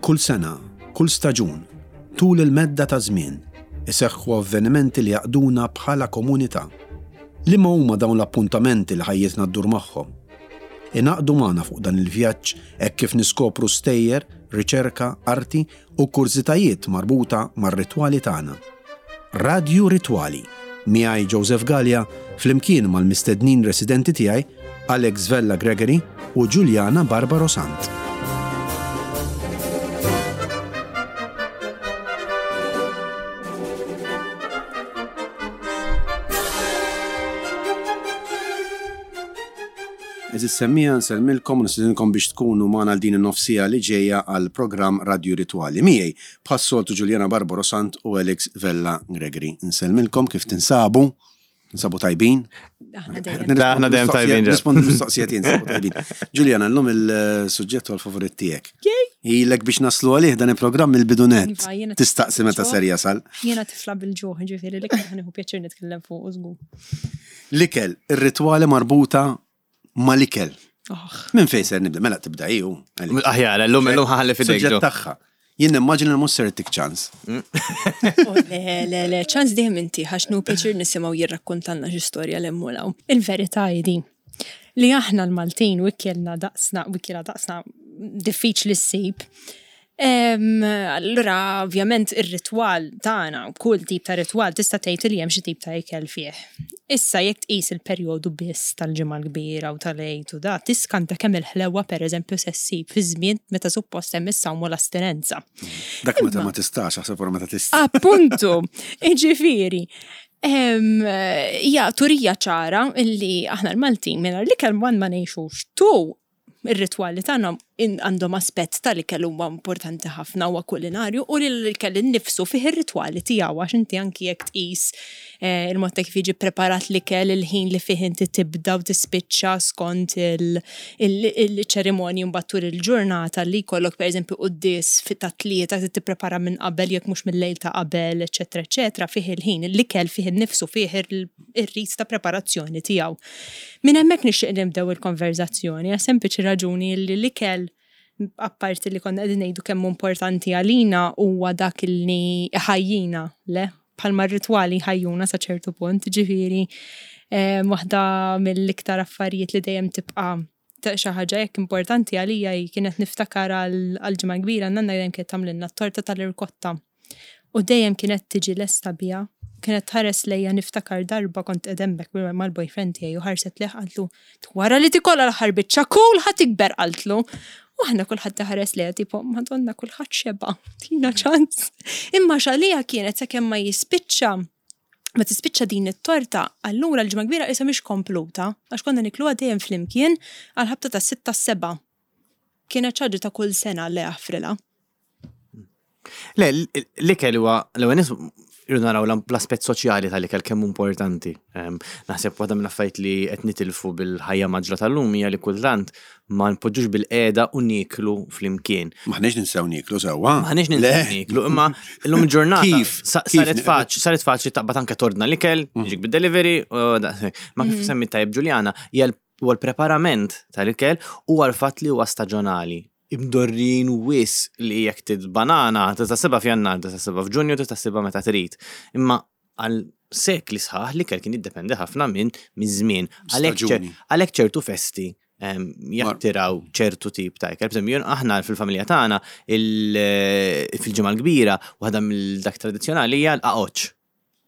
Kull sena, kull staġun, tul il-medda ta' żmien, iseħħu avvenimenti li jgħaqqduna bħala komunità. Liema huma dawn l-appuntamenti li ħajjitna ddur magħhom? Ingħaqdu magħna fuq dan il-vjaġġ hekk kif niskopru stejjer, riċerka, arti u kurżitajiet marbuta mar-ritwali tagħna. Radju Ritwali, miegħi Joseph Galea flimkien mal-mistednin residenti tiegħi Alex Vella Gregory u Juliana Barbaro Sant. Għeżież semmiegħa nsellmilkom u nistedinkom biex tkunu magħna għal din in-nofs siegħa li ġejja għall-programm Radju Ritwali. Miegħi bħas-soltu Juliana Barbaro Sant u Alex Vella Gregory. Nsellmilkom kif tinsabu? Tinsabu tajbin? Aħna dejjem. Aħna dejjem tajbin. Nispondi mistoqsija tiegħi nsabu tajbin. Juliana, llum il-suġġett huwa l-favorit tiegħek. Ilek biex naslu għalih dan il-programm il-bidunet. Iva, Tistaqsi meta ser jasal. Jiena tifla bil-ġuħ, ġifieri li kien ħanieħu pjaċir nitkellem fuq żgur. L-ikel, ir-ritwali marbuta mal-ikel. Oh. Minn fejn ser nibda? Mela tibda ju. Aħjar, llum illum ħalli fidejk. Suġġett tagħha. Jien nimmaġina li mhux ser tik ċans. Oh, le, le, le, ċans dejjem inti għax nu pjaċir nisimgħu jirrakkontalna xi storja l mulaw. Il-verità hi din. Li aħna l-Maltin u ikelna daqsna, u ikelna daqsna diffiċli ssib. Allura, ovvjament, ir-ritwal tagħna, kull tip ta' ritwal tista' tgħid li hemm xi tip ta' ikel fih. Issa jekk tqis il-perjodu biss tal-Ġimgħa l-Kbira u tal-Għid u da, tiskanta kemm il-ħlewa pereżempju se ssib fi żmien meta suppost hemm is-sawm u l-astinenza. Dak meta ma tistax, aħseb wara meta tista'. Appuntu, jiġifieri, hija turija ċara illi aħna l-Maltin mingħajr l-ikel ma ngħixux. Tu Ir-ritwali tagħna għandhom aspett tal-ikel huwa importanti ħafna huwa kulinarju u li l-ikel innifsu fih ir-ritwali tiegħu għax inti anki jekk tqis eh, il-mod ta' kif jiġi preparat l-ikel, il-ħin li fih inti tibda u tispiċċa skont il-ċerimonji mbagħad tul il-ġurnata li jkollok pereżempju quddies fit ta' tlieta trid tipprepara minn qabel jekk mhux mil-lejl ta' qabel, eċetera, eċetera, fih il-ħin, l-ikel fih innifsu fih ir-rit ta' preparazzjoni tiegħu. Minn hemmhekk nixtieq nibdew il-konverżazzjoni għas sempliċi raġuni li l-ikel apparti li konna qegħdin ngħidu kemm importanti għalina huwa dak li ħajjina, le? Bħalma r-ritwali ħajjuna sa ċertu punt, ġifieri eh, waħda mill-iktar affarijiet li dejjem tibqa' xi ħaġa hekk importanti għalija hi kienet niftakar għal ġimgħa kbira nanna dejjem kienet tagħmlilna t-torta tal-irkotta. U dejjem kienet tiġi lesta biha. Kienet tħares lejja niftakar darba kont qed hemmhekk mal-boyfriend tiegħi u ħarset lejh qaltlu wara li tikolha l-aħħar biċċa kul ħa tikber qaltlu. U aħna kulħadd iħares lejha tipo Madonna kulħadd xeba' tina ċans. Imma x'għaliha kienet sakemm ma jispiċċa ma tispiċċa din it-torta, allura l-ġimgħa kbira qisha mhix kompluta, għax konna nikluha dejjem flimkien għal ħabta tas-sitta s-sebgħa. Kienet xi ħaġa ta' kull sena Alla jaħfrilha. Le, l-ikel huwa l-ewwel nies irridu naraw l-aspett soċjali tal-ikel kemm importanti. Naħseb waħda mill-affarijiet li qed nitilfu bil-ħajja maġla tal-lum hija li kultant ma npoġġux bil-qiegħda u nieklu flimkien. M'aħniex ninsew nieklu sewwa. M'aħniex ninsew nieklu, imma illum il-ġurnata Kif? saret faċli, saret faċli taqbad anke tordna l-ikel, jiġik bid-delivery, ma kif semmi tajjeb Ġuljana, hija huwa l-preparament tal-ikel u għal-fatt li huwa staġonali. Imdorrijin wisq li jekk trid banana tista' ssibha f'Jannar, tista' ssibha f'Ġunju, tista' ssibha meta trid. Imma għal sekli sħaħ l-ikel kien jiddependi ħafna minn miż-żmien. Għalhekk ċertu festi ehm, jattiraw ċertu tip ta' ikel. Per aħna fil-familja tagħna fil-ġimgħa l-kbira waħda mill-dak tradizzjonali hija l-qaqoċċ.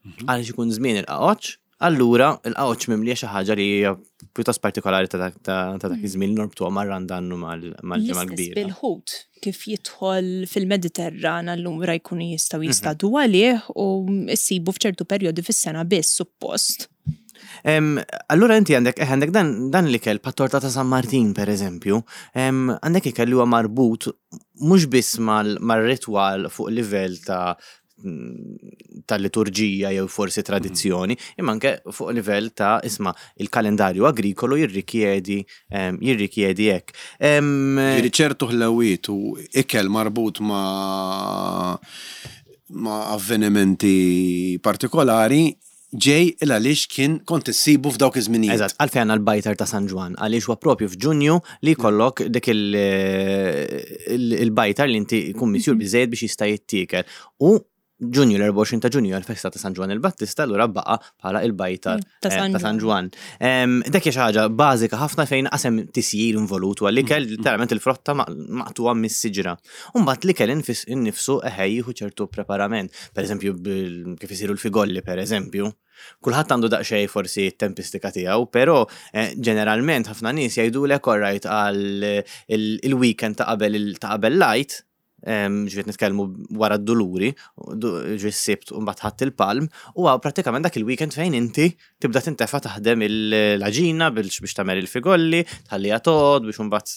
Mhm. Għaliex ikun żmien il-qaqoċċ, allura il-qaqoċċ mimlija xi ħaġa li hija pjuttost partikolari ta' dak mhm. iż-żmien norbtuha mar-randannu mal-ġimgħa kbira. Bil-ħut kif jidħol fil-Mediterran allura jkunu jistgħu mhm. jistadu għalih u ssibu f'ċertu perjodi fis-sena biss suppost. Allura inti għandek eh, għandek dan, dan l-ikel pa' torta ta' San Martin per eżempju, għandek ikel li huwa marbut mhux biss mal-ritwal fuq livell ta' ta' liturġija jew forsi tradizzjoni, imma anke fuq livell ta' isma' il-kalendarju agrikolu jirrikjedi jirrikjedi hekk. Jiġifieri ċertu ħlewiet u ikel marbut ma' ma' avvenimenti partikolari. ġej il għaliex kien kont issibu f'dawk iż-żminijiet. Eżatt, għalfejn għandna l-bajtar ta' San Ġwann, għaliex huwa propju f'Ġunju li jkollok dik il-bajtar li inti jkun misjur biżejjed biex jista' jittiekel. U Ġunju, l-24 ta' Ġunju għal-festa ta' San Ġwann il-Battista, allura baqa bħala il-bajtar Ta' San ta' San Ġwann. Dak hija xi ħaġa bażika ħafna fejn qasem tisjir involut u għall-ikel literalment il-frotta maqtuha mis-siġra. U mbagħad l-ikel innifsu eħe jieħu ċertu preparament. Per eżempju, kif isiru l-figolli, per eżempju. Kulħadd għandu daqsxejn forsi t-tempistika tiegħu, però ġeneralment ħafna nies jgħidulek alright għal il-weekend ta' qabel ta' qabel l-Għid, ġifieri nitkellmu wara d-duluri, ġifieri s-Sibt u mbagħad Ħadd il-Palm, huwa prattikament dak il-weekend fejn inti tibda tintefa' taħdem l-għaġina biex tagħmel il-figolli, tħalliha toqgħod biex imbagħad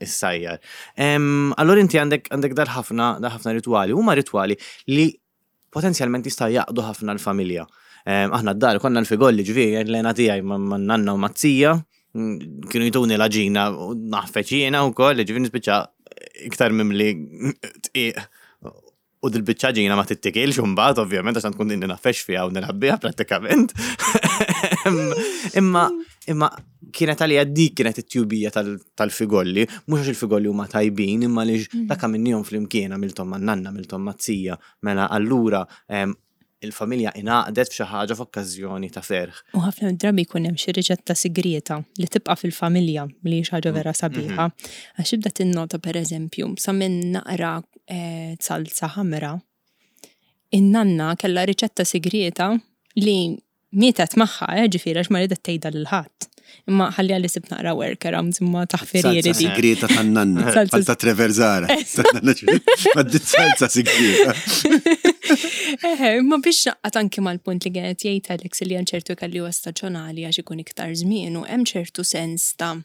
issajjar. Allura inti għandek dal-ħafna ħafna ritwali, huma ritwali li potenzjalment jista' jaqdu ħafna l-familja. Aħna d-dar konna l-figolli ġifieri l-għena tiegħi ma' nanna u ma' zija kienu jtuni l-għaġina u naħfeġ jiena wkoll, ġifieri nispiċċa iktar mimli tqiq u dil-biċċa ġina ma tittikilx imbagħad ovvjament għax tkun inni nafex fiha u nilgħab biha prattikament. Imma imma kienet għalija dik kienet it-tjubija tal-figolli, mhux għax il-figolli huma tajbin, imma li dak għamilnihom flimkien, għamilthom man-nanna, għamilthom mat-zija, mela allura il-familja ingħaqdet f'xi ħaġa f'okkażjoni ta' ferħ. U ħafna drabi jkun hemm xi riċetta sigrieta li tibqa' fil-familja li hi xi ħaġa vera sabiħa. Għax tibda tinnota pereżempju sa minn naqra salsa ħamra, in-nanna kellha riċetta sigrieta li mietet magħha, ġifieri għax ma ridet tgħidha lil ħadd. Imma ħalli għalli sib naqra workarounds imma taħfirieri di. Salsa sigrieta tan-nanna. Bħal ta' Trevor Zara. Ma dit salsa sigrieta. Eħe, imma biex naqqat anki mal-punt li kienet jgħid Alex li hemm ċertu ikel li huwa staġjonali għax ikun iktar żmien u hemm ċertu sens ta'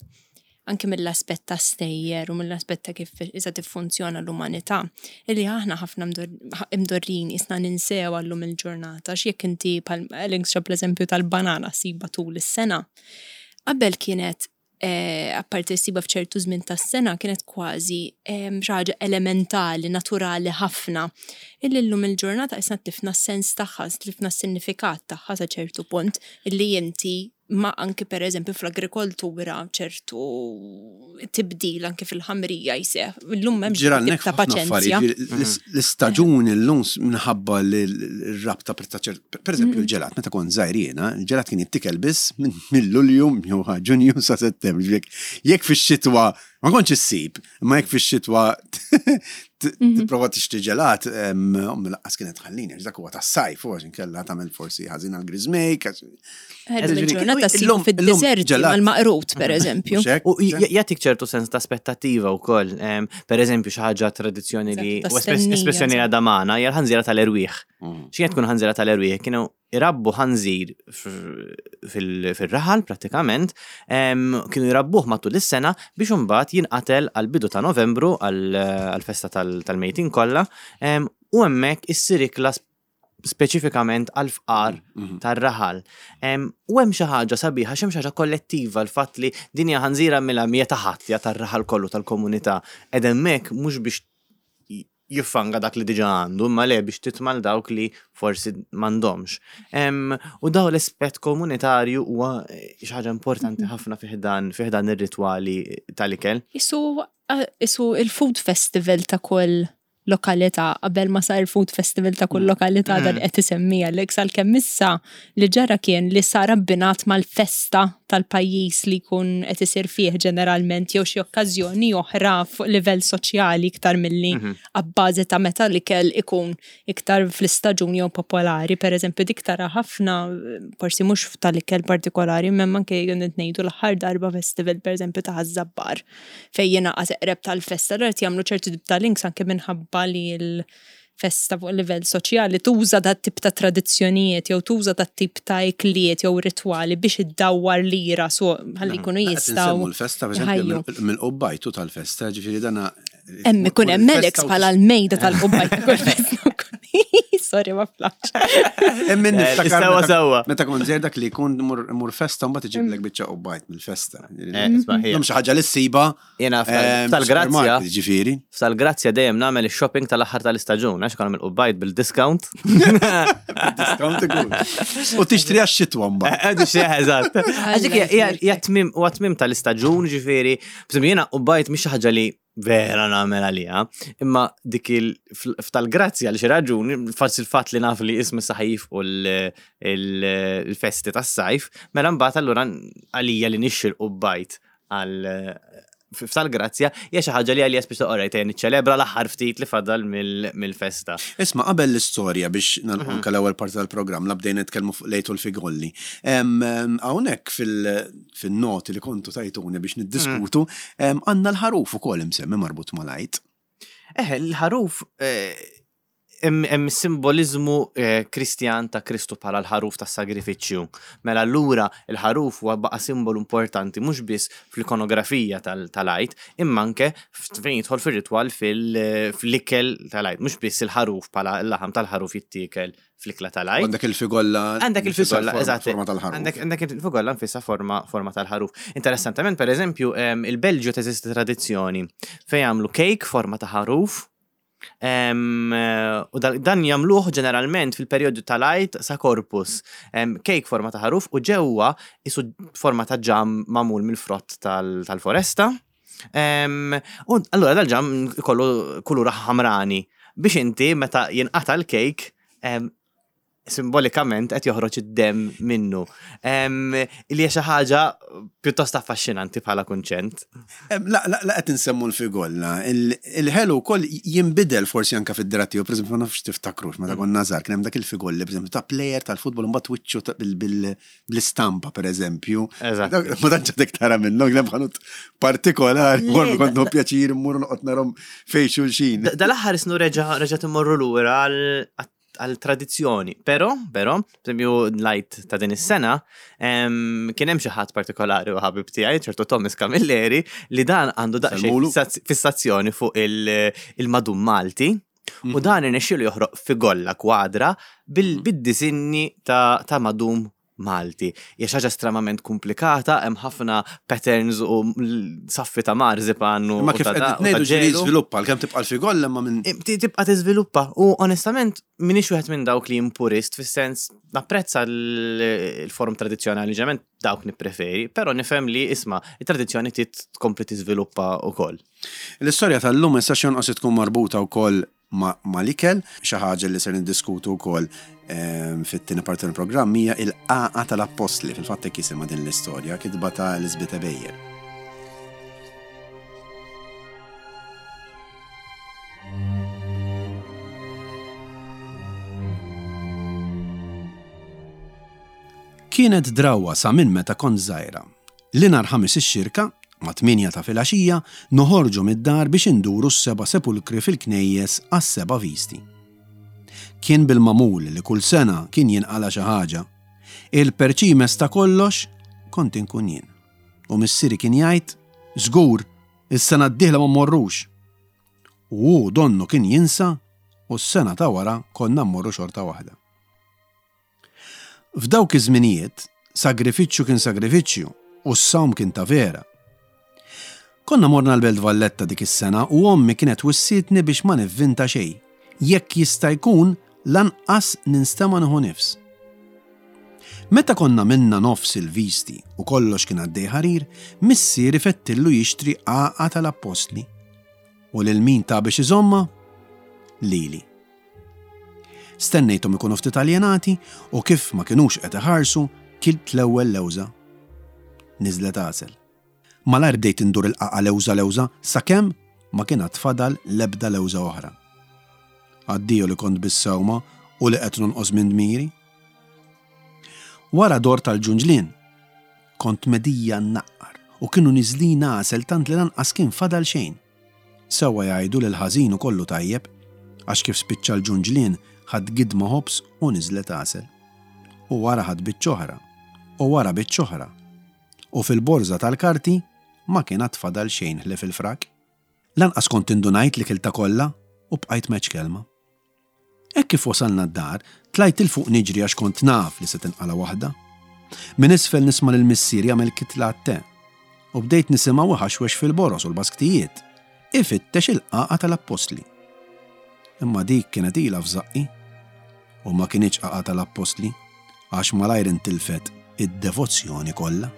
anki mill-aspett ta' stejjer u mill-aspett ta' kif issa tiffunzjona l-umanità, illi aħna ħafna imdorrin isna ninsew għallum il-ġurnata, x'jekk inti bħal Alex ġab l-eżempju tal-banana siba tul is-sena. Qabel kienet apparti siba f'ċertu żmien tas-sena kienet kważi xi ħaġa elementali, naturali ħafna. Illi llum il-ġurnata isna tlifna s-sens tagħha, tlifna s-sinifikat tagħha sa ċertu punt illi inti ma anki per eżempju fl-agrikoltura ċertu tibdil anki fil-ħamrija jseħ. Illum m'hemmx Ġiralnek tip ta' ħafna paċenzja. affarijiet. L-istaġun illum minħabba li l-rabta per ta' per eżempju l-ġelat, meta kont żgħir jiena, il-ġelat kien jittikel biss minn Lulju jew Ġunju sa Settembru. Ġifieri jekk fix-xitwa ma kontx issib, imma jekk fix-xitwa tipprova tixtri ġelat, ommi laqqas kienet tħallini, għax dak huwa tas-sajf, u għax inkella tagħmel forsi ħażin għall-griżmejk. Ħerġ Ġifieri, il-ġurnata ssibu illum fid-deżerti ġelat. mal-maqrut, per eżempju. Mhux hekk? U jagħtik ċertu sens ta' aspettattiva wkoll. Per eżempju, xi ħaġa tradizzjoni li Eżatt, ta' u stennija, espressjoni li eżatt. għadha magħna hija l-ħanżira tal-erwieħ. X'kienet tkun ħanżira tal-erwieħ? Kienu irabbu ħanżir fil-raħal prattikament, kienu jrabbuh matul is-sena biex imbagħad jinqatel għal bidu ta' Novembru għal-festa tal-mejtin kollha, u hemmhekk issir ikla speċifikament għal-fqar tar-raħal. U hemm xi ħaġa sabiħa, x'hemm xi ħaġa kollettiva l-fatt li din hija ħanżira mela mija ta' ħadd, hija tar-raħal kollu tal-komunità. Ed hemmhekk mhux biex jiffanga dak li diġa għandu, imma le biex titmal dawk li forsi m'għandhomx. U daw l-aspett komunitarju huwa xi ħaġa importanti ħafna fi ħdan ir-ritwali tal-ikel. Isu il-food festival ta' kull lokalità, qabel ma sar food festival ta' kull lokalità dan qed isemmi Alex, għalkemm issa li ġara kien li sar abbinat mal-festa tal-pajjiż li jkun qed isir fih ġeneralment jew xi okkażjoni oħra fuq livell soċjali iktar milli abbażi ta' meta l-ikel ikun iktar fl-istaġun jew popolari. Per eżempju, dik tara ħafna, forsi mhux tal-ikel partikolari, imma anke jgħidu ngħidu l-aħħar darba festival per eżempju ta' Ħaż-Żabbar fejn jingħaqad eqreb tal-festa, allura qed jagħmlu ċertu tip ta' links anke minħabba li l-festa fuq livell soċjali tuża dat tip ta' tradizzjonijiet jew tuża dat tip ta' ikliet jew ritwali biex iddawwar lira so ħalli jkunu Qed jistgħu insemmu l-festa, per eżempju, jħajju. mill-qubbajtu tal-festa, ġifieri dana Hemm ikun hemm il-festa Alex u bħala l-mejda tal-qubbajt ta' kull festa wkoll. Sorry, ma flax. Emmin eh, niftakar. Sewa sewa. Meta kont żgħir dak li jkun mur festa mbagħad iġiblek biċċa qubbajt mill-festa. Eh, isma' ħija. Xi ħaġa li ssiba. Jiena eh, tal-grazzja. supermarket, Ġifieri. Tal-grazzja dejjem nagħmel ix-shopping tal-aħħar tal-istaġun, għax konna mill-qubbajt bil-discount. Discount ikun. U tixtri għax-xitwa mbagħad. Għadu xieħ, eżatt. Għax dik hija tmim huwa tmim tal-istaġun, ġifieri, bżonn jiena qubbajt mhix xi ħaġa li vera nagħmel għaliha, imma dik il f'tal-grazzja li xi raġuni, forsi il-fatt li naf li ismi saħif u l-festi tas-sajf, mela mbagħad allura għalija li nixxi l-qubbajt għal f'tal-grazzja hija xi ħaġa li għalija speċi orajt ejja niċċelebra l-aħħar ftit li fadal mill-festa. Isma' qabel l-istorja biex nagħlqu anke l-ewwel parti tal-programm la bdejna nitkellmu fuq lejtu l-figolli. Hawnhekk fil-noti li kontu tajtuni biex niddiskutu, għandna l-ħaruf ukoll imsemmi marbut mal-Għid. Eh, l-ħaruf eh, hemm simboliżmu eh, Kristjan ta' Kristu bħala l-ħaruf tas-sagrifiċċju. Mela allura l-ħaruf huwa baqa' simbolu importanti mhux biss fl-ikonografija tal-Għid, imma anke fejn jidħol fir-ritwal fl-ikel tal-Għid, mhux biss il-ħaruf bħala l-laħam tal-ħaruf jittiekel fl-ikla tal-Għid. Għandek il-figolla. Għandek il-figolla, eżatt. Forma tal-ħaruf. Għandek il-figolla nfissa forma, forma tal-ħaruf. Interessantement, per eżempju, il-Belġju teżisti tradizzjoni fejn jagħmlu cake forma ta' ħaruf. U dan jagħmluh ġeneralment fil-perjodu tal-Għid sa Corpus. Cake forma ta' ħaruf u ġewwa isu forma ta' ġam magħmul mill-frott tal-foresta. U allura dal-ġam ikollu kulur ħamrani biex inti meta jinqata' l-kejk simbolikament qed joħroġ id-demm minnu. Li hija xi ħaġa pjuttost affaxxinanti bħala kunċent. La, la, la qed insemmu l-figolla, il-ħelu wkoll jinbidel forsi anke fid-dra tiegħu, pereżempju ma nafx tiftakrux meta konna żgħar kien hemm dak il-figolli pereżempju ta' plejer tal-futbol imbagħad wiċċu bl-istampa pereżempju. Eżatt. Ma tantx għadek tara minnhom, kien hemm ħanut partikolari, morru kont nieħu pjaċir immur noqgħod narhom fejn xulxin. Dal-aħħar isnu reġa' reġa' timmorru lura għal tradizzjoni. Però, però, pereżempju l-Għid ta' din is-sena, kien hemm xi ħadd partikolari u ħabib tiegħi, ċertu Thomas Camilleri, li dan għandu daqsxejn Salmulu. fissazzjoni fuq il-madum Malti. U dan irnexxielu joħroq figolla kwadra bil-disinni ta' madum Malti. Hija xi ħaġa estremament komplikata, hemm ħafna patterns u saffi ta' marzipan u Ma kif ta' qed da- u ta' ngħidu ġieli ġelu. jiżviluppa, għalkemm tibqa' l-figolla imma minn Tibqa' tiżviluppa u onestament m'iniex wieħed minn dawk li jien purist fis-sens napprezza l-form tradizzjonali ġement dawk nippreferi, però nifhem li isma' it-tradizzjoni trid tkompli tiżviluppa wkoll. L-istorja tal-lum issa x'jonqos tkun marbuta wkoll mal-ikel, xi ħaġa li ser niddiskutu wkoll ehm, fit-tieni parti tal-programm hija il-qaqa tal-appostli, fil-fatt hekk jisimha din l-istorja, kitba ta' Elizabeth Ebejer. Kienet drawwa sa minn meta kont żgħira li nhar Ħamis ix-Xirka, mat-tmienja ta' filgħaxija, noħorġu mid-dar biex induru s-seba' sepulkri fil-knejjes għas-seba' visti. Kien bil-magħmul li kull sena kien jinqala' xi ħaġa. Il-perċimes ta' kollox kont inkun jien. U missieri kien jgħid, Żgur, is-sena d-dieħla ma mmorrux! U hu donnu kien jinsa u s-sena ta' wara konna mmorru xorta waħda. F'dawk iż-żminijiet, sagrifiċċju kien sagrifiċċju u s-sawm kien ta' vera. Konna morna l-Belt Valletta dik is-sena u ommi kienet wissietni biex ma nivvinta xejn, jekk jista' jkun lanqas ninstema' nieħu nifs. Meta konna minna nofs il-visti u kollox kien għaddej ħarir, missieri fettillu jixtri għaqa tal-appostli. U lil min ta biex iżommha? Lili. Stennejthom ikunu ftit aljenati u kif ma kinux qed iħarsu, kilt l-ewwel lewża. Niżlet għasel. Malajr bdejt indur il-qagħqa lewża lewża sakemm ma kien għad fadal l-ebda lewża oħra. Addio li kont bis-sewma u li qed nonqos minn dmiri. Wara dort għall-ġunġlien. Kont medija nnaqqar u kienu niżlin għasel tant li lanqas kien fadal xejn. Sewwa jgħidu li l-ħażin hu kollu tajjeb, għax kif spiċċa l-ġunġlien ħadt gidma ħobż u niżlet għasel. U wara ħadt biċċa oħra. U wara biċċa oħra. U fil-borża tal-karti ma kien għad fadal xejn ħlief il-frak. Lanqas kont indunajt li kiltha kollha u bqajt m'għedtx kelma. Hekk kif wasalna d-dar, tlajt 'il fuq niġri għax kont naf li se tinqala' waħda. Minn isfel nisma' lil missieri jagħmel kitla għat-te. U bdejt nisimgħu iħaxwex fil-boroż u l-basktijiet, ifittex il-qagħqa tal-appostli. Imma dik kienet ilha f'żaqqi. U ma kinitx qagħqa tal-appostli, għax malajr intilfet id-devozzjoni kollha.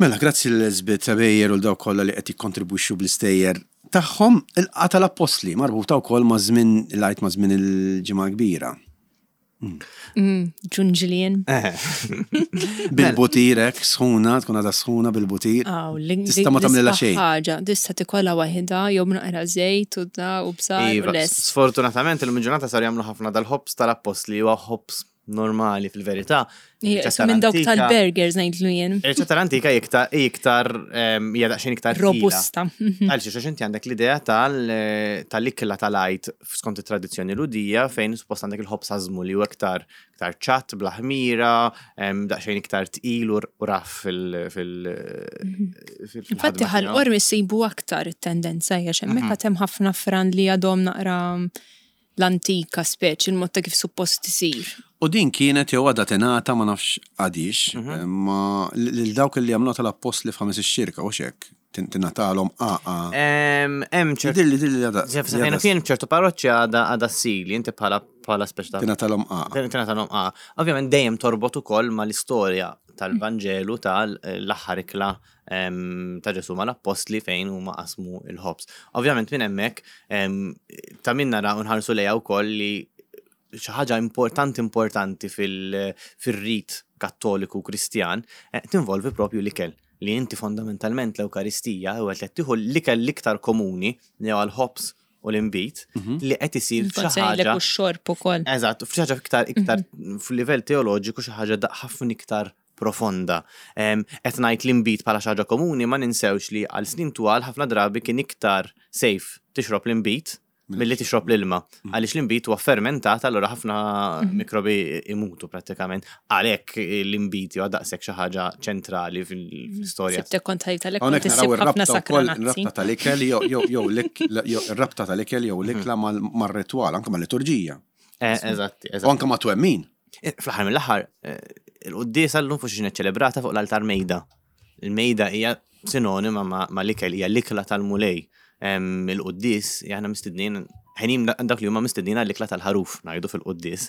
Mela, grazzi lil Elizabeth Bejer u l dawk kollha li qed jikkontribwixxu bl-istejjer tagħhom. Il-qagħa tal-appostli marbuta wkoll ma' żmien il-Għid ma' żmien il-Ġimgħa l-Kbira. Ġunġlien. Bil-butir hekk, sħuna, tkun għadha sħuna bil-butir. Tista' ma tagħmlilha xejn. Ħaġa, tista' tikolha waħidha jew naqra żejt u da u bżar u iva, lest. Sfortunatament il-ġurnata sar jagħmlu ħafna dal-ħobż tal-appostli huwa ħobż normali fil-verità. Riċetta minn dawk tal-burgers ngħidlu jien. Riċetta l-antika iktar iktar hija daqsxejn iktar robusta. Għal xi inti għandek l-idea tal-ikla tal-għid skont it-tradizzjoni Lhudija fejn suppost għandek il-ħobż għażmu li huwa iktar iktar ċatt bla ħmira, daqsxejn iktar tqil u raff fil- mhm. Infatti ħal-qormi ssibu aktar it-tendenza hija x'hemmhekk mhm. għad hemm ħafna fran li għadhom naqra l-antika speċi, il-mod ta' kif suppost isir. U din kienet jew għadha tingħata ma nafx għadhiex, ma lil dawk li jagħmluha tal-appostli f'Ħames ix-Xirka hux hekk? Tingħatalhom għaqa. Hemm ċertu. Jidhirli jidhirli li għadha. Fejn kien ċertu parroċċi għadha għadha ssir li inti bħala bħala speċi ta' Tingħatalhom għaqa. Tingħatalhom għaqa. Ovvjament dejjem torbot ukoll mal-istorja tal-Vanġelu tal-aħħar ikla ta' Ġesù mal-appostli fejn huma qasmu l-ħobż. Ovvjament minn hemmhekk ta' min nara u nħarsu lejha wkoll li xi ħaġa importanti importanti fil-rit kattoliku Kristjan eh, tinvolvi propju l-ikel li inti fondamentalment l-Ewkaristija u qed tieħu l-ikel l-iktar komuni li huwa l-ħobż u l-inbid mhm. li qed isir xi ħaġa. U x-xorb ukoll. Eżatt, f'xi ħaġa iktar iktar mhm. f'livell teoloġiku xi ħaġa ħafna iktar profonda. Qed ngħid l-inbid bħala xi ħaġa komuni ma ninsewx li għal snin twal ħafna drabi kien iktar safe tixrob l-inbid milli tixrob l-ilma. Mm. Għaliex l-inbid huwa fermentat, allura ħafna mm. mikrobi imutu prattikament. Għalhekk l-inbid huwa daqshekk xi ħaġa ċentrali fil-istorja. Sibtek kont ħajt għalhekk kont issib ħafna sakranazzi. Rabta tal-ikel jew rabta tal-ikel jew l-ikla mm. mar-ritwal, anke mal-liturġija. Eh, eżatt, eżatt. U anke ma' twemmin. Eh, fl-aħħar mill-aħħar, eh, il-quddiesa llum fuq xi ċelebrata fuq l-altar mejda. Il-mejda hija sinonima ma' l-ikel, hija l-ikla tal-mulej. Il-quddies, aħna mistednin, ħenin dak li huma mistednin għall-ikla tal-ħaruf, ngħidu fil-quddies.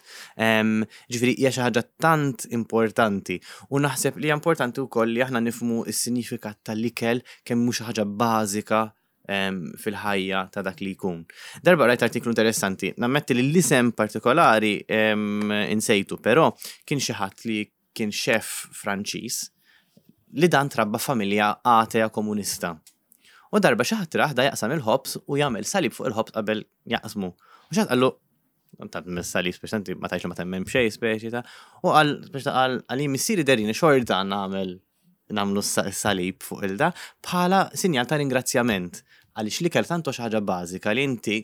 Ġifieri hija xi ħaġa tant importanti u naħseb li hija importanti wkoll li aħna nifhmu s-sinifikat tal-ikel kemm mhux xi ħaġa bażika fil-ħajja ta' dak li jkun. Darba rajt artiklu interessanti, nammetti li l-isem partikolari insejtu, però kien xi ħadd li kien xef Franċiż li dan trabba familja atea komunista. U darba xi ħadd rah da jaqsam il-ħobż u jagħmel salib fuq il-ħobż qabel jaqsmu. U xi ħadd qallu ta' salib speċi ma tajx ma temmen b'xejn speċi ta' u qal speċi ta' qal għal missieri derini xorta nagħmel nagħmlu s-salib fuq il-da bħala sinjal ta' ringrazzjament għaliex l-ikel tant xi ħaġa bażika li inti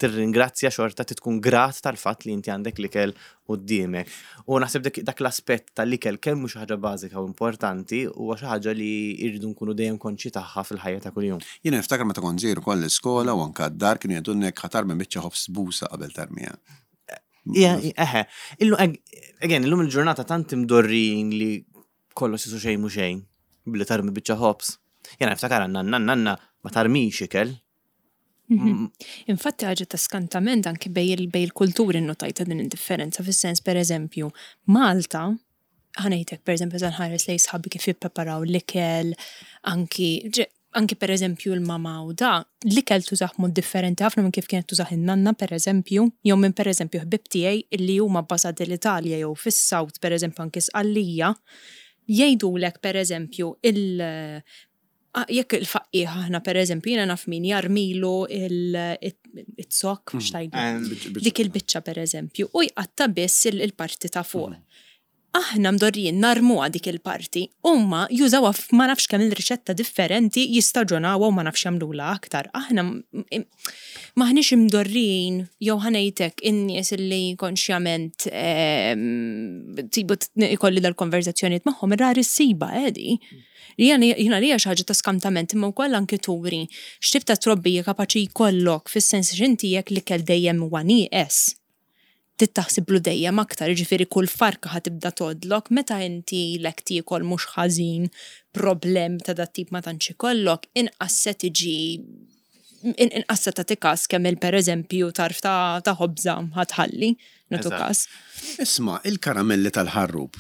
tirringrazzja xorta tkun grat tal-fatt li inti għandek l-ikel quddiemek. U naħseb dak l-aspett tal-ikel kemm mhux ħaġa bażika u importanti huwa xi ħaġa li rridu nkunu dejjem konxji tagħha fil-ħajja ta' kuljum. Jiena niftakar meta kont żgħir ukoll l-iskola u anke d-dar kienu jgħidulna jekk ħa tarmi biċċa ħobż busa qabel tarmiha. Eħe, illu, again, illum il-ġurnata tant imdorrin li kollox jisu xejn mhu xejn billi tarmi biċċa ħobż. Jena niftakar għanna nanna nanna ma tarmix ikel. Mhm. Infatti ħaġa ta' skantament anki bej il-kulturi notajta din id-differenza fis-sens per eżempju Malta ħanejtek per eżempju nħares lej sħabi kif jippreparaw l-ikel, anki anki per eżempju l-mama u da, l-ikel tużah mod differenti ħafna minn kif kienet tużah in-nanna per eżempju, jew minn per eżempju ħbib tiegħi illi huma bbażati l-Italja jew fis-South per eżempju anki Sqallija, jgħidulek per eżempju il- jekk il-faqqiħ aħna per eżempju jiena naf min jarmilu il-zokk, mm. xtajdu, dik il-biċċa per eżempju, u jqatta biss il-parti ta' fuq. Mm. Aħna mdorrijin narmuha dik il-parti, huma jużawha f'ma nafx kemm il-riċetta differenti, jistaġonawha u ma nafx jagħmlulha aktar. Aħna M'aħniex imdorrijin jew ħa ngħidlek in-nies li konxjament tibu ikolli dal-konverzazzjonijiet magħhom rari ssibha edi. Li jiena li hija xi ħaġa ta' skantament imma wkoll anki turi x'tip ta' trobbija kapaċi jkollok fis-sens x'inti jekk l-ikel dejjem huwa nieqes. Trid taħsiblu dejjem aktar, jiġifieri kull farka ħa tibda tgħoddlok, meta inti ilek tiekol mhux ħażin, problem ta' dat-tip ma tantx ikollok, inqas se tiġi inqas se tagħti każ kemm il pereżempju tarf ta' ħobża ħa tħalli, nagħtu każ. Isma', il-karamelli tal-ħarrub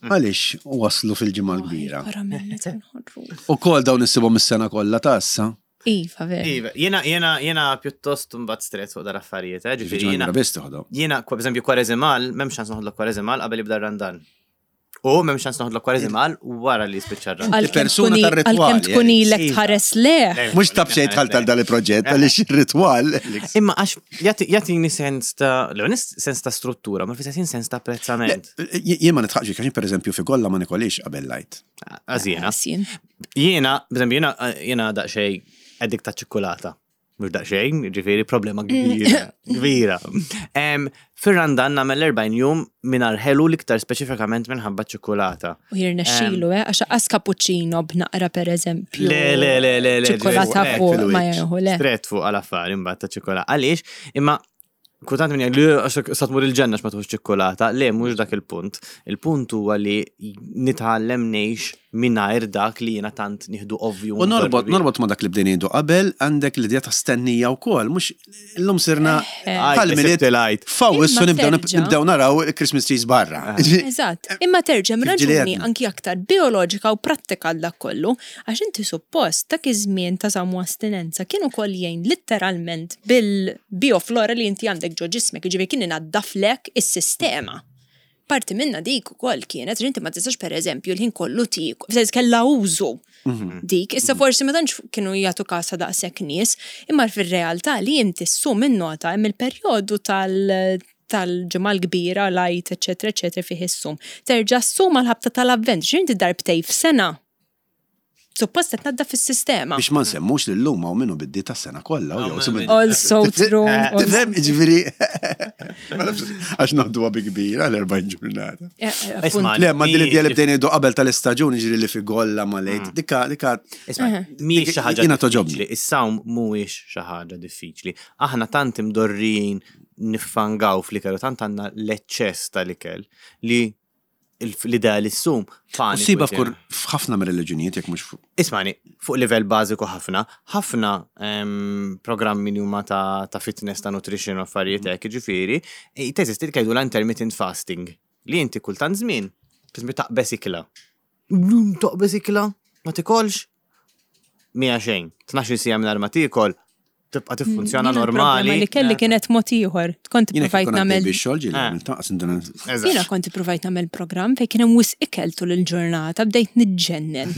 għaliex waslu fil-Ġimgħa l-Kbira? Il-karamelli tal-ħarrub. Ukoll dawn issibhom is-sena kollha ta' issa? Iva, vera. Iva, jiena, jiena, jiena pjuttost mbagħad stress fuq dar affarijiet, eh, ġifieri jiena. Biss toħodhom. Jiena, per eżempju, kwareżimal, m'hemmx ċans noħodlok kwareżimal qabel jibda r-Randan. U m'hemmx ċans noħodlok kwareżimal wara li jispiċċa r-Randan. Għalkemm persuna tkun i- tar-ritwali, Għalkemm tkun eh. ilek Iva. tħares leh. Mhux ta' b'xejn dħalt għal dan il-proġett għaliex ir-ritwal. Imma għax jagħtini sens ta' l sens ta' struttura, ma fl-istess ħin sens ta' apprezzament. Jien ma nitħaqx għax per eżempju fi kollha ma nikolix qabel lajt. Għaż jiena. Jien. Jiena, per eżempju, jiena jiena daqsxejn addict ta' ċikkulata. Mhux daqsxejn, ġifieri problema kbira, kbira. Fir-Randan nagħmel 40 jum mingħajr ħelu l-iktar speċifikament minħabba ċikkulata. U jirnexxilu, eh, għax qas cappuccino b'naqra per eżempju. Le, le, le, le, le. Ċikkulata ġifieri, fuq ma fil-wiċċ. jieħu, le. Stret fuq għal-affari imbagħad ta' ċikkulata. Għaliex, imma kultant minn jgħid li għax sa tmur il-ġenna x'ma tħux ċikkulata, le mhux dak il-punt. Il-punt huwa li nitgħallem ngħix mingħajr dak li jiena tant nieħdu ovvju. U norbot, norbot ma dak li bdejna ngħidu qabel, għandek l-idea ta' stennija wkoll, mhux illum sirna bħal milied il-għajt. fawwissu Imma nibdew terġa'. nibdew naraw il-Christmas trees barra. Eżatt, imma terġa' Kif ġieli raġuni għedna. anki aktar bioloġika u prattika għal dak kollu, għax inti suppost dak iż-żmien ta' samu astinenza kien ukoll jgħin litteralment bil-bioflora li inti għandek ġo ġismek, jiġifieri kien inaddaflek is-sistema. Parti minna dik ukoll kienet, għax inti ma tistax pereżempju l-ħin kollu tiekol, f'sens kellha użu dik, issa forsi ma tantx kienu jagħtu kasa daqshekk nies, imma fir-realtà li inti ssum in-nota hemm il-perjodu tal- tal-ġimgħa l-kbira, lajt, eċetera, eċetera, fih issum. Terġa' ssum għal-ħabta tal-avvent, ġinti darbtej f'sena. Suppost qed tnaddaf fis-sistema. Biex ma nsemmux li llum hawn minnu biddi tas-sena kollha u jew summi- Also true. also- Tifhem, ġifieri. Ma nafx għax noħduha bi kbira l-40 ġurnata. Eh, eh, Isma' appunt. Le, ma din l-idea li bdejna ngħidu qabel tal-istaġun ġifieri li fi golla ma lejt. Dikka, dikka. Isma' mhijiex xi ħaġa Jiena toġobni. diffiċli. Is-sawm mhuwiex xi ħaġa diffiċli. Aħna tant imdorrijin niffangaw fl-ikel u tant għandna l-eċċess tal-ikel li l-idea li ssum paniku. Siba jtina. f'kur f'ħafna mir-reliġjonijiet jekk mhux fuq. Ismani, fuq livell bażiku ħafna, ħafna programmi li huma ta' fitness, ta' nutrition u affarijiet hekk, jiġifieri, teżisti li jgħidu la intermittent fasting, li inti kultant żmien, pereżempju taqbeż ikla. Llum Taqbeż ikla, ma tikolx, mija xejn, 12 sija mingħajr ma tiekol, tibqa' tiffunzjona Jiena normali. l-problema Li kelli kienet mod ieħor. Kont Jiena kif provajt kont għaddej nagħmel bix-xogħol ġieli Eh. għamilt taqas induna. Eżatt. Jiena kont provajt nagħmel programm fejn kien hemm wisq ikel tul il-ġurnata bdejt niġġennen.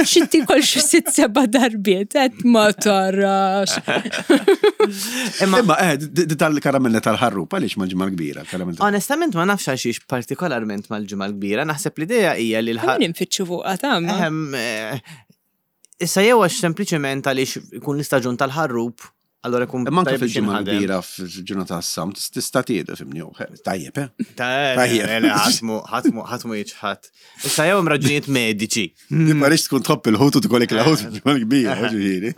Xi tiekol xi sitt seba' darbiet qed ma tarax. Imma Imma eh, di tal-karamella tal-ħarrub għaliex mal-ġimgħa l-kbira, karamella tal- onestament ma nafx għal xiex partikolarment mal-ġimgħa l-kbira, naħseb l-idea hija li l-ħar Kemm infittxu fuqha tagħma. Ehem, Issa jew għax sempliċement għaliex ikun l-istaġun tal-ħarrub, allora ikun Imma anke tajjeb biex fil-ġimgħa jinħadem. l-kbira fil-ġurnata tas-sam tista' tiedu fimni, tajjeb, eh? Tajjeb, Tajjeb. le, ħatmu, ħatmu, ħatmu jiċħat. Issa jew hemm raġunijiet mediċi. Ma rridx tkun tħobb il-ħut u tkollek il-ħut fil-ġimgħa l-kbira, ġifieri.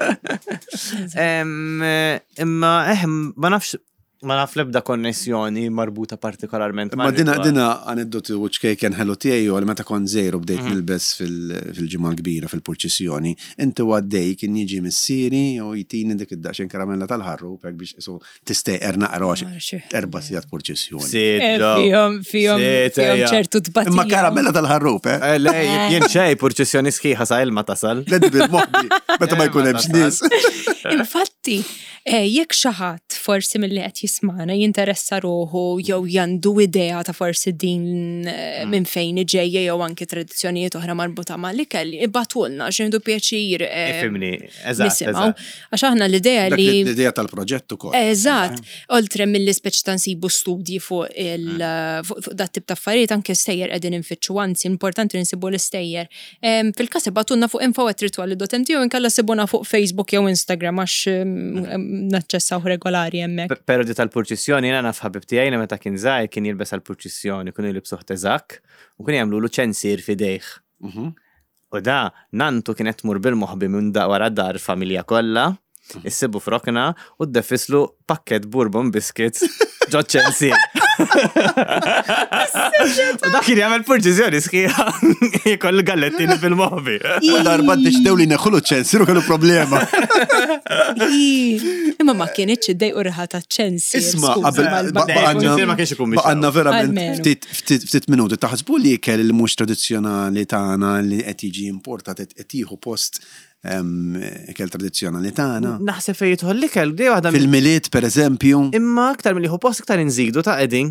Imma ehem, ma nafx ma naf l-ebda konnessjoni marbuta partikolarment. Ma dina dina aneddotu u ċkejken ħelu tiegħi u għal meta kont żejru bdejt nilbes fil-ġimgħa l-kbira fil-purċissjoni, inti għaddej kien jiġi missieri u jtini dik id-daqsxejn karamella tal-ħarrub hekk biex isu tistejqer naqra għax erba' sigħat purċissjoni. Eh, Fihom fihom fihom ċertu tbatija. Imma karamella tal-ħarrub, eh? Le, jien xej, purċissjoni sħiħa sa ilma tasal. Ledi bil-moħbi, meta ma jkun hemmx nies. Infatti, jekk xi ħadd forsi milli qed jismana jinteressa ruħu jew jandu idea ta' forsi din minn fejn iġejja jew anki tradizzjonijiet oħra marbuta mal-ikel, ibatulna x'indu pjaċir Ifimni, eżatt. nisimgħu. Għax aħna l-idea Dak li L-idea tal-proġett ukoll. Eżatt, oltre mill-li speċi ta' nsibu studji fuq il fuq dat tip ta' affarijiet anke stejjer qegħdin infittxu, anzi importanti li nsibu l-istejjer. Fil-każ ibatunna fuq info@rituali.mt jew inkella sibuna fuq Facebook jew Instagram. Instagram għax naċċessaw regolari hemmhekk. Pero di tal-purċissjoni jiena naf ħabib tiegħi li meta kien żgħir kien jilbes għall-purċissjoni, kienu jilbsuh teżak u kien jagħmlulu ċensier f'idejh. U da nantu kienet tmur bil-moħbi minn da wara dar familja kollha, issibu f'rokna u ddeffislu pakket bourbon biscuits ġo ċensier. U dak kien jagħmel purċissjoni sħiħa jkoll gallettini fil-moħbi. U darba ddeċidew li neħħulu ċ-ċensier u kellu problema. Ii, Imma ma kienitx iddejqu riħa ta' ċensier. Isma, skuża, qabel mal-bagħal. ċensier ma kienx ikun biex baqgħanna verament Almenu. ftit ftit ftit minuti. Taħsbu li ikel li mhux tradizzjonali tagħna li qed jiġi importat qed qed jieħu post em, ikel tradizzjonali tagħna? Naħseb fejn jidħol l-ikel, di waħda mill- Fil-Milied pereżempju. Imma aktar milli hu post iktar inżidu ta' qegħdin.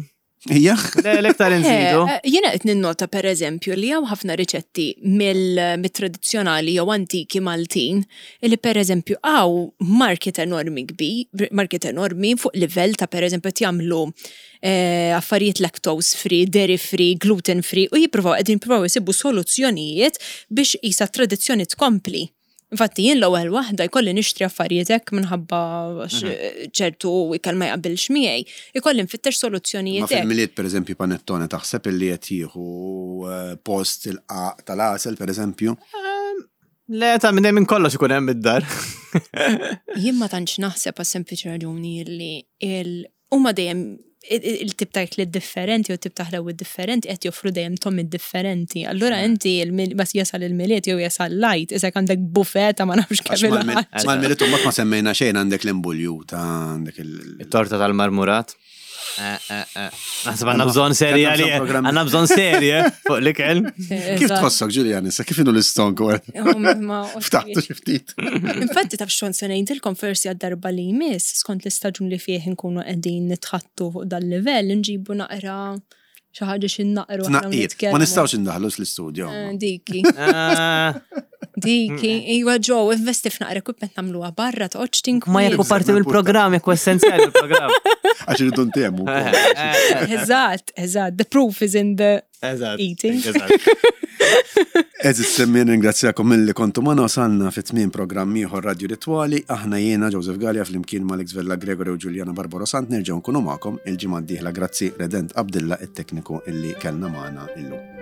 Hija? Le, l-iktar inżidu. Eh, Jiena qed ninnota pereżempju li hawn ħafna riċetti mill-tradizzjonali jew antiki Maltin li pereżempju hawn market enormi kbir, market enormi fuq livell ta' pereżempju qed jagħmlu eh, affarijiet lactose free, dairy free, gluten free u jippruvaw qegħdin jippruvaw isibu soluzzjonijiet biex isa tradizzjoni tkompli. Infatti jien l-ewwel waħda jkolli nixtri affarijiet hekk minħabba għax, ċertu ikel ma jaqbilx miegħi, ikolli nfittex Ma soluzzjonijiet hekk. fil-Milied pereżempju panettone taħseb illi qed jieħu eh, post il-qaq tal-għasel pereżempju? Le, ta' minn minn kollox ikun hemm id-dar. Jien ma tantx naħseb għas sempliċi raġuni li il huma dejjem il-tip ta' ikliet differenti u tip ta' ħlewwiet differenti qed joffru dejjem tomid differenti. Allura inti il-mil- bas jasal il-Milied jew jasal lajt, isek għandek buffet ta' ma nafx Għax kemm mal-Milied il-ħaġa. mal-Milied u mbagħad ma semmejna xejn għandek l-imbuljuta, għandek il- Torta tal-marmurat. Eh, eh, eh. Naħseb għandna bżonn serje Għandna bżonn għalih. programm. Għandna bżonn serje fuq l-ikel. Kif tħossok, Ġulian, issa kif inhu l-istonku? Ftaħtu xi ftit. Infatti taf xon se ngħidilkom forsi għad-darba li jmiss skont l-istaġun li fih nkunu qegħdin nitħattu fuq dal-livell nġibu naqra xi ħaġa xi naqru aħna Tnaqqir. Ma nitkellmu. nistgħux indaħlu l-istudio. Eh, Diki. Ah, Diki, iwa ġo, investi f'naqra equipment nagħmluha barra toqgħodx tinkwiet. Ma jekk hu parti mill-programm, jekk hu essenzjali l-programm. Għax irridu ntemu. Eżatt, eżatt, the proof is in the Eżatt. eating. Eżatt. Eżis semmien ringrazzjakom mill-li kontu magħna wasalna fit tmien programm ieħor Radio Ritwali. Aħna jiena Joseph Gallia flimkien ma' Alex Vella Gregory u Giuliana Barbaro Sant nerġgħu nkunu magħkom il-ġimgħa d-dieħla grazzi Redent Abdilla it-tekniku illi kellna magħna illum.